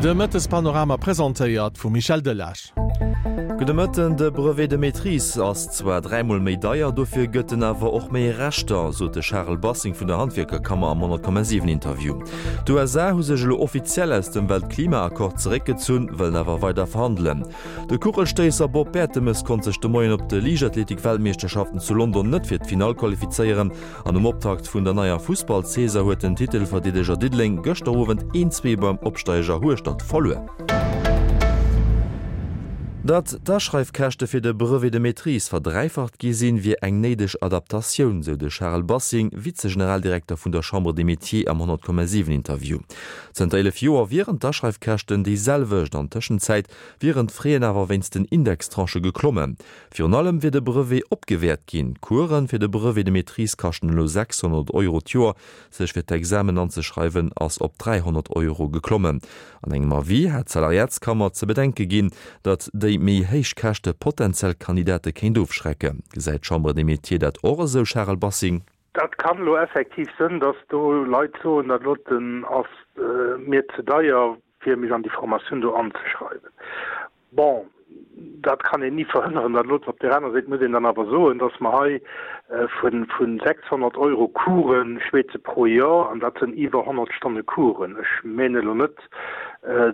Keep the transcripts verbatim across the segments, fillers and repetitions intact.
De Mëttespanorama presentéiert vum Michel Delage. Gudde Mëtten, De Brevet de maîtrise ass zwar dräimol méi deier, dofir gëtt en awer och méi Rechter, sot de Charel Bassing vun der Handwierkerkammer am honnert Komma siwen Interview. D'USA hu sech elo offiziell aus dem Weltklimaaccord zeréckgezunn, wëllen awer weider verhandelen. De Kuchelstéisser Bob Bertemes konnt sech de Moien op de Liichtathletik-Weltmeeschterschaften zu London net fir d'Finall qualifizéieren an um Optakt vun der neier Fussballsaison huet den Titelverdeedeger Diddeleng gëschter Owend een zwee beim Opsteiger Hueschtert verluer. Datt d'Aschreifkäschte fir de Brevet de maîtrise verdräifacht gi sinn, wier eng néideg Adaptatioun, sou de Charel Bassing, Vize-Generaldirekter vun der Chambre des Métiers am honnert Komma siwen Interview. Zënter eelef Joer wieren d'Aschreifkäschten déi selwecht, an Tëschenzäit wieren d'Fraisen awer wéinst den Indextranchë geklommen. Virun allem wier de Brevet opgewäert ginn. D'Coursen fir de Brevet de maîtrise kaschten elo sechshonnert Euro d'Joer, sech fir d'Examen anzeschreiwen ass op dräihonnert Euro geklommen. An engem Avis hat d'Salariatskammer ze bedenke ginn, datt déi méi héich Käschte potentiell Kandidate kéint ofschrecken. Gesäit d'Chambre des Métiers dat och esou, Charel Bassing? Dat kann elo effektiv sënn, datt do Leit soen, dat doten ass mir ze deier, fir mech an déi Formatioun do anzeschreiwen. Bon, dat kann een ni verhënneren, dat elo. Op där aner Säit muss een dann awer soen, datt mer hei vu sechshonnert Euro Coursen schwätze pro Joer, an dat sinn iwwer honnert Stonne Coursen. Ech menen elo net,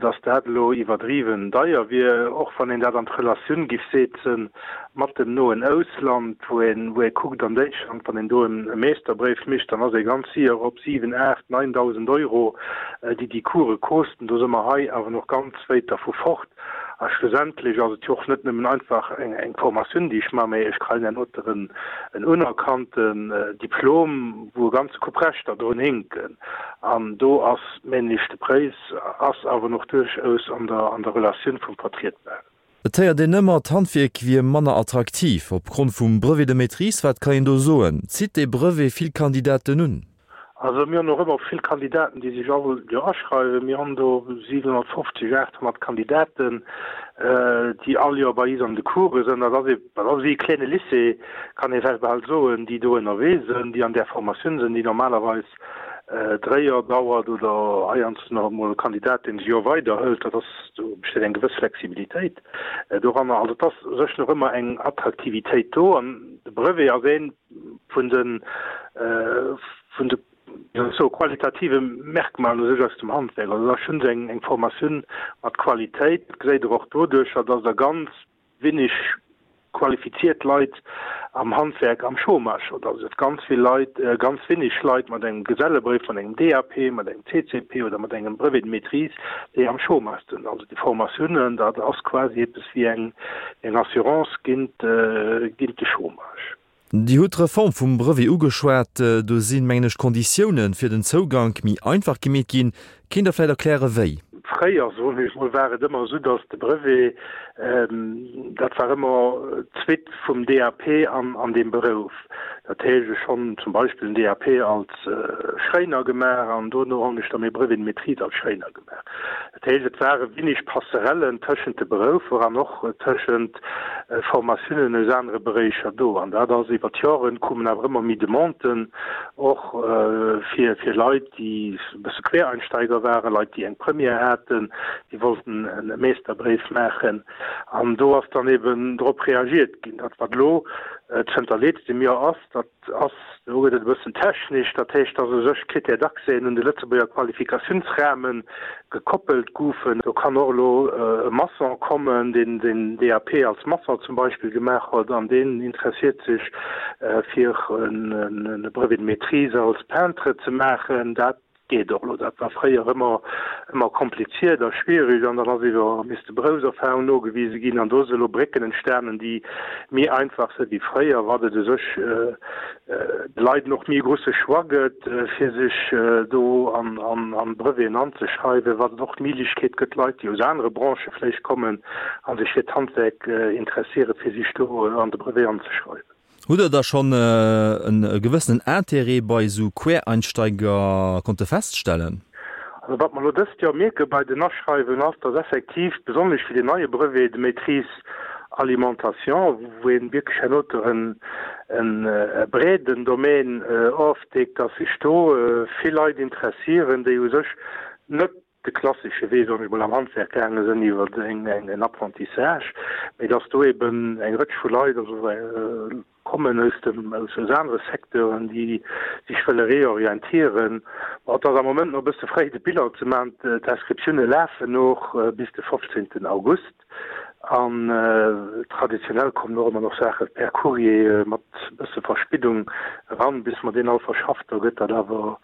datt dat elo iwwerdriwwen deier wier, och wann een dat an d'Relatioun giff setzen mat dem noen Ausland, wou een, wou ee kuckt an Däitschland, wann een do e Meeschterbréif mécht, dann ass ee ganz séier op siwen, aacht, neuntausend Euro, déi déi Course kosten. Do si mer hei awer nach ganz wéit dervu fort. A schlussendlech ass et jo och net nëmmen einfach eng Formatioun, déi ech maachen, mä ech kréien herno en unerkannten Diplom, wou e ganze Koup Rechter drun hinken. An do ass, mengen ech, de Präis ass awer nach duerchaus an der an der Relatioun vum Vertrietbaren. Et héiert een ëmmer, d'Handwierk wier manner attraktiv opgrond vum Brevet de maîtrise. Wat kann een do soen? Zitt dee Brevet vill Kandidaten un? Also mir hunn och ëmmer vill Kandidaten, déi sech all Joer aschreiwen. Mir hunn do siwenhonnertfofzeg, aathonnert Kandidaten, déi all Joer bei is an de Course sinn. Dat ass ee, dat ass wéi e klenge Lycée, kann ee vläicht bal soen, déi do ënnerwee sinn, déi an där Formatioun sinn, déi normalerweis dréi Joer dauert oder heiansdo nach emol e Kandidat, deen e Joer weider hëlt. Dat ass, do besteet eng gewëss Flexibilitéit doranner. Also et ass u sech nach ëmmer eng Attraktivitéit do an de Brevet ass ee vun de, vun de sou qualitative Merkmalen u sech aus dem Handwerk. Also dat ass schonn eng eng Formatioun mat Qualitéit. Dat geséit Der och doduercher, dass Der ganz wenig qualifiziert Leit am Handwerk am Chômage hutt. Also et ganz vill Leit, ganz wenig Leit mat engem Gesellebréif, mat engem D A P, mat engem C C P oder mat engem Brevet de maîtrise, déi am Chômage sinn. Also déi Formatiounen, dat ass quasi eppes wéi eng eng Assurance géint géint de Chômage. Dir hutt d'Reform vum Brevet ugeschwat. Do sinn, mengen ech, d'Konditiounen fir den Zougank méi einfach gemeet ginn. Kéint Der vläicht erklären, wéi? Fréier, soen ech mol, war et ëmmer esou, datt de Brevet, dat war ëmmer d'Suite vum D A P an an deem Berouf. Dat heescht, ech hunn zum Beispill en D A P als Schréiner gemaach an dono hunn ech da mäi Brevet de maîtrise als Schréiner gemaach. Dat heescht, et ware wenig Passerellen tëschent de Beroufer an och tëschent Formatiounen aus anere Beréicher do. An dat ass iwwer d'Joren, koumen awer ëmmer méi Demanden och fir fir Leit, déi e bësse Quereinsteiger waren, Leit, déi eng Première haten, déi wollten e Meesterbréif maachen. An do ass dann eben drop reagiert ginn. Dat, wat elo zënter letztem Joer ass, dat ass, do gëtt et e bëssen technesch, dat heescht, dass u sech Critères d'accès un de Lëtzebuerger Qualifikatiounsrahme gekoppelt goufen. Do kann och elo e Maçon kommen, deen den D A P als Maçon zum Beispill gemaach huet an deen interessiert sech fir e Brevet de maîtrise als Peintre ze maachen. Dat geet och elo. Dat war fréier ëmmer ëmmer kompliziert a schwierig an dann ass iwwer misste Beroufserfahrung nogewise ginn an do si elo Brécken entstanen, déi méi einfach si wéi fréier, wat et u sech de Leit och méi e grousse Choix gëtt, fir sech do an an an Breveten anzeschreiwen, wat et och d'Méiglechkeet gëtt, Leit, déi aus anere Branchë vläicht kommen a sech fir d'Handwerk interesséieren, fir sech do an de Brevet anzeschreiwen. Hutt Der da schonn e gewëssenen Intérêt bei esou Quereinsteiger konnte feststellen? Also wat mer elo dëst Joer mierke bei den Aschreiwungen ass, dass effektiv besonnesch fir deen neie Brevet de maîtrise alimentation, wou ee wierklech herno e breeden Domaine ofdeckt, dass sech do vill Leit interessieren, déi u sech net de klassesche Wee, soen ech mol, am Handwerk gaange sinn iwwer eng eng en Apprentissage, mee dass do eben eng Rëtsch vu Leit, also kommen aus dem aus aus anere Secteuren, déi sech wëlle reorientieren. Ma et ass am Moment nach e bësse fréi de Bilan ze maachen. D'Inscriptioune lafen och bis de fofzéngten August an traditionell kommen och ëmmer nach Saache per Courrier mat e bësse Verspiddung eran, bis mer deen all verschafft. Da gëtt dat awer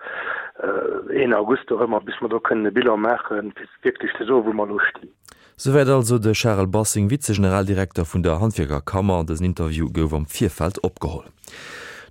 een August dorëmmer, bis mer do kënnen e Bilan maachen, fir wierklech ze soen, wou mer elo stinn. Souwäit also de Charel Bassing, Vize-Generaldirekter vun der Handwierkerkammer. Dësen Interview gouf am Virfeld opgeholl.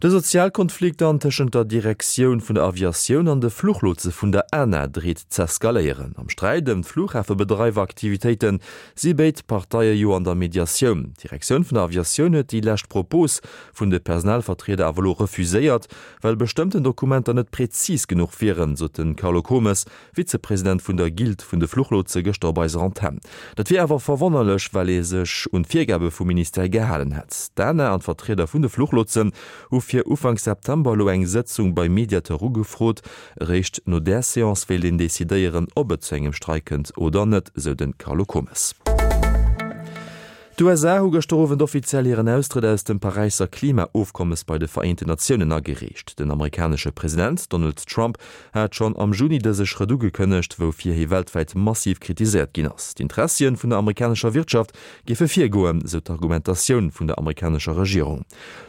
De Sozialkonflikt an tëschent der Direktioun vun der Aviatioun an de Fluchlotse vun der ANA dreet z'eskaléieren. Am Sträit ëm d'Fluchhafebedreiweraktivitéite si béid Parteie jo an der Mediatioun. D'Direktioun vun der Aviatioun huet déi lescht Propos vun de Personalvertrieder awer elo refuséiert, well bestëmmten Dokumenter net präzis genuch wieren, sot de Carlo Komes, Vizepresident vun der Guilde vun de Fluchlotse gëschter op eiser Antenn. Dat wier awer verwonnerlech, well ee sech un d'Virgabe vum Ministère gehalen hätt. D'ANA an d'Vertrieder vun de Fluchlotsen hu fir Ufank September elo eng Sëtzung beim Mediateur ugefrot. Eréischt no där Seance wéilt een decidéieren, ob et zu engem Streik kënnt oder net, sou de Carlo Komes. D'USA hu gëschter Owend offiziell hiren Austrëtt aus dem Paräisser Klimaofkommes bei de Vereenten Natiounen agereecht. Den amerikanesche President Donald Trump hat schonn am Juni dëse Schrëtt ugekënnegt, woufir hie weltwäit massiv kritiséiert ginn ass. D'Interessie vun der amerikanescher Wirtschaft géife virgoen, sou d'Argumentatioun vun der amerikanescher Regierung.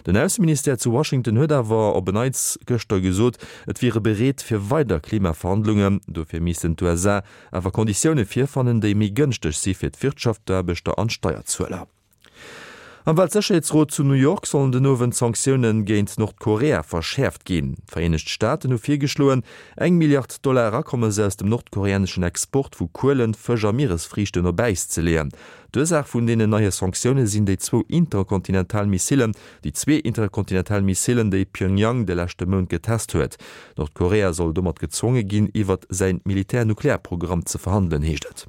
Den Ausseministère zu Washington huet awer op en Neits gëschter gesot, et wiere bereet fir weider Klimaverhandlungen. Dofir missten d'USA awer Konditioune virfannen, déi méi gënschteg si fir d'Wirtschaft, d'Aarbechter an d'Steierzueler. Am Weltsécherheetsrot zu New York sollen den Owend d'Sanktioune géint Nordkorea verschäerft ginn. D'Vereenegt Staaten hu virgeschloen, eng Milliard Dollar Akommes aus dem nordkoreaneschen Export vu Kuelen, Fësch a Mieresfriichten op Äis ze leeën. D'Ursaach vun deenen neie Sanktioune sinn déi zwou interkontinental Missilen, déi zwee interkontinental Missilen, déi Pyongyang de leschte Mount getest huet. Nordkorea soll domat gezwonge ginn, iwwert säin Militär-Nuklearprogramm ze verhandelen, heescht et.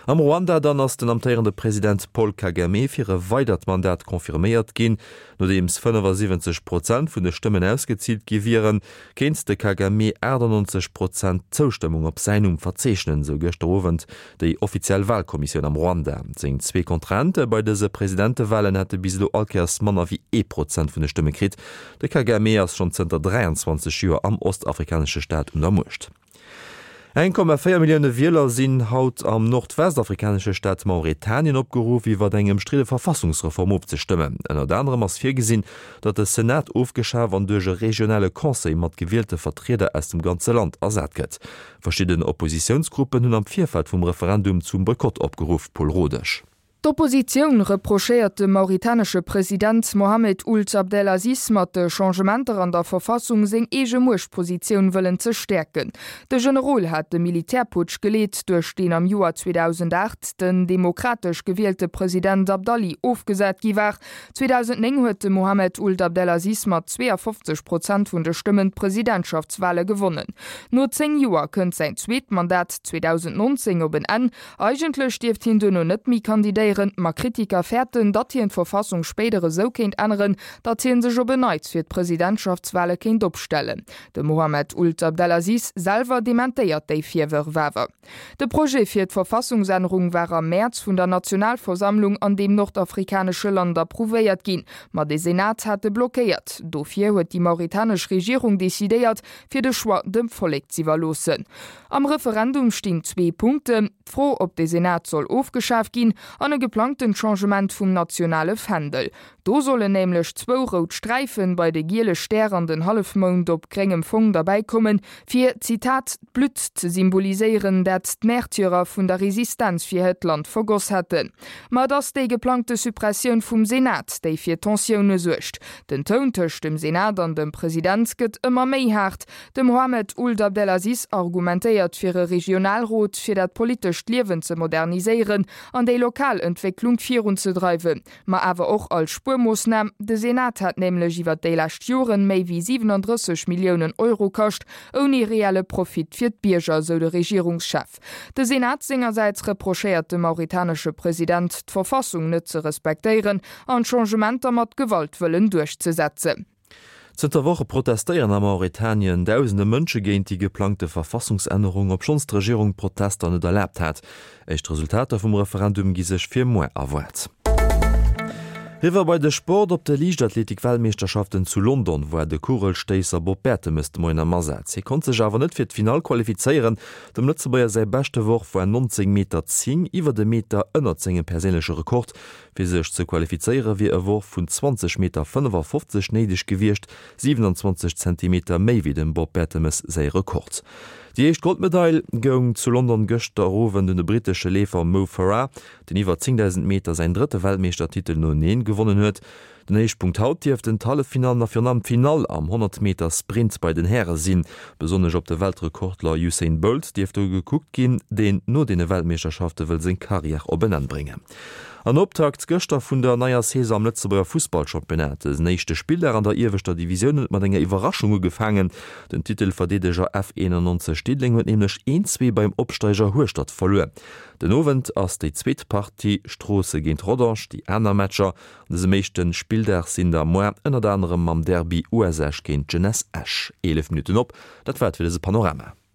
Am Ruanda dann ass den amtéierende President Paul Kagame fir e weidert Mandat confirméiert ginn. Nodeems fënnefasiwwenzeg Prozent vun de Stëmmen ausgezielt gi wieren, kéint de Kagame achtannonzeg Prozent Zoustëmmung op säin Numm verzeechnen, sou gëschter Owend déi offiziell Walkommissioun am Ruanda. Seng zwee Kontrahente bei dëse Presidentewalen hätte bis elo all Kéiers manner wéi ee Prozent vun de Stëmme kritt. De Kagame ass schonn zënter dräianzwanzeg Joer am ostafrikanesche Staat un der Muecht. Eng Komma véier Millioune Wieler sinn haut am nordwestafrikanesche Staat Mauretanien opgeruff, iwwer eng ëmstridde Verfassungsreform ofzestëmmen. Ënnert anerem ass virgesinn, datt de Senat ofgeschaf an duerch e regionale Conseil mat gewielte Vertrieder aus dem ganze Land ersat gëtt. Verschidden Oppositiounsgruppen hunn am Virfeld vum Referendum zum Boykott opgeruff. Paul Rodesch. D'Oppositioun reprochéiert dem mauritanesche President Mohamed Ould Abdel Aziz mat de Changementer an der Verfassung seng eege Muechtpositioun wëllen ze stäerken. De Generol hat de Militärputsch geleet, duerch deen am Joer zweedausendacht den demokratesch gewielte President Abdali ofgesat gi war. zweedausendnéng huet de Mohamed Ould Abdel Aziz mat zweeafofzeg Prozent vun de Stëmmen d'Presidentschaftswale gewonnen. No zéng Joer kënnt säin zweet Mandat zweedausendnonzéng op en Enn. Eigentlech dierft hien duerno net méi kandidéieren, ma Kritiker fäerten, datt hien d'Verfassung spéider esou kéint änneren, datt hien sech op en Neits fir d'Presidentschaftswale kéint opstellen. De Mohamed Ould Abdel Aziz selwer dementéiert déi Virwërf awer. De Projet fir d'Verfassungsännerung war am Mäerz vun der Nationalversammlung an deem nordafrikanesche Land approuvéiert ginn, ma de Senat hat e blockéiert. Dofir huet déi mauritanesch Regierung decidéiert, fir de Choix dem Vollek z'iwwerloossen. Am Referendum stinn zwee Punkten, d'Fro, ob de Senat soll ofgeschaf ginn an e geplangtent Changement vum nationale Fändel. Do sollen nämlech zwou rout Sträifen bei de giele Stär an den Hallefmound op gréngem Fong derbäi kommen, fir, Zitat, d'Blutt ze symboliséieren, dat d'Märtyrer vun der Resistenz fir hiert Land vergoss hätten. Ma et ass déi geplangte Suppressioun vum Senat, déi fir Tensioune suergt. Den Toun tëscht dem Senat an dem President gëtt ëmmer méi haart. De Mohamed Ould Abdel Aziz argumentéiert fir e Regionalrot, fir dat politescht Liewen ze moderniséieren an déi lokal Entwécklung virunzedreiwen, ma awer och als Spuermoossnam. De Senat hat nämlech iwwer déi lescht Joren méi wéi siwenandrësseg Milliounen Euro kascht, ouni reelle Profit fir d'Bierger, sou de Regierungschef. De Senat sengersäits reprochéiert dem mauritanesche President, d'Verfassung net ze respektéieren an d'Changementer mat Gewalt wëllen duerchzesetzen. Zënter Woche protestéieren a Mauretanien dausende Mënsche géint déi geplangte Verfassungsännerung, obschonns d'Regierung d'Protester net erlaabt hat. Éischt Resultater vum Referendum gi sech fir muer erwaart. Eriwwer bei de Sport, Op de Liichtathletik-Weltmeeschterschaften zu London war de Kugelstéisser Bob Bertemes de Moien am Asaz. Hie konnt sech awer net fir d'Finall qualifizéieren. Dem Lëtzebuerger säi beschte Worf war nonzéng Meter zéng, iwwert e Meter ënnert sengem perséinleche Rekord. Fir sech ze qualifizéiere wier e Worf vun zwanzeg Meter fënnefafofzeg néideg gewiescht, siwenanzwanzeg Zentimeter méi wéi dem Bob Bertemes säi Rekord. Déi éischt Goldmedail goung zu London gëschter Owend un de brittesche Leefer Mo Farah, deen iwwer zéngdausend Meter säin drëtte Weltmeeschtertitel noeneen gewonnen huet. Den Héichpunkt haut dierften d'Halleffinallen a virun allem d'Finall am honnert Meter Sprint bei den Häre sinn. Besonnesch op de Weltrekordler Usain Bolt dierft do gekuckt ginn, deen no deene Weltmeeschterschafte wëll seng Karriär op en Enn bréngen. An Optakt gëschter vun der neier Saison am Lëtzebuerger Fussballchampionnat. Dësen éischte Spilldag an der ieweschter Divisioun huet mat enger Iwwerraschung ugefaangen. Den Titelverdeedeger F einundneunzeg Diddeleng huet nämlech een zwee beim Opsteiger Hueschtert verluer. Den Owend ass déi zweet Partie Stroosse géint Rodange. Déi aner Matcher an dësem éischte Spilldag sinn da muer ënnert anerem mam Derby U S Esch géint Jeunesse Esch. Eelef Minutten op, dat war et fir dëse Panorama.